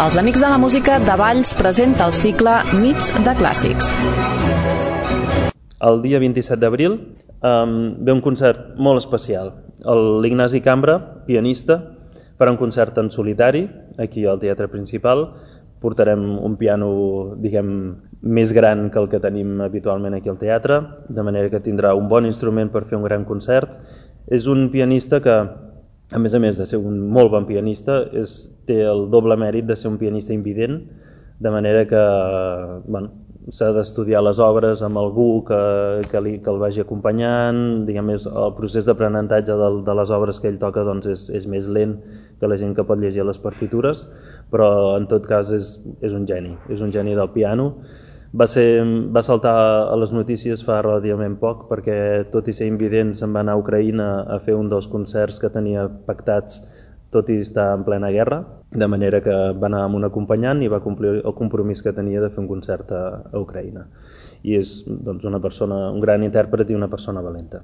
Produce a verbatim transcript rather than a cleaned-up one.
Els Amics de la Música de Valls presenta el cicle Nits de Clàssics. El dia vint-i-set d'abril um, ve un concert molt especial. L'Ignasi Cambra, pianista, farà un concert en solitari aquí al Teatre Principal. Portarem un piano, diguem, més gran que el que tenim habitualment aquí al teatre, de manera que tindrà un bon instrument per fer un gran concert. És un pianista que, a més a més de ser un molt bon pianista, és, té el doble mèrit de ser un pianista invident, de manera que bueno, s'ha d'estudiar les obres amb algú que, que, li, que el vagi acompanyant. Diguem, el procés d'aprenentatge de, de les obres que ell toca doncs, és, és més lent que la gent que pot llegir les partitures, però en tot cas és, és un geni, és un geni del piano. Va, ser, va saltar a les notícies fa relativament poc perquè, tot i ser invident, se'n va anar a Ucraïna a fer un dels concerts que tenia pactats, tot i estar en plena guerra, de manera que va anar amb un acompanyant i va complir el compromís que tenia de fer un concert a, a Ucraïna. I és doncs, una persona, un gran intèrpret i una persona valenta.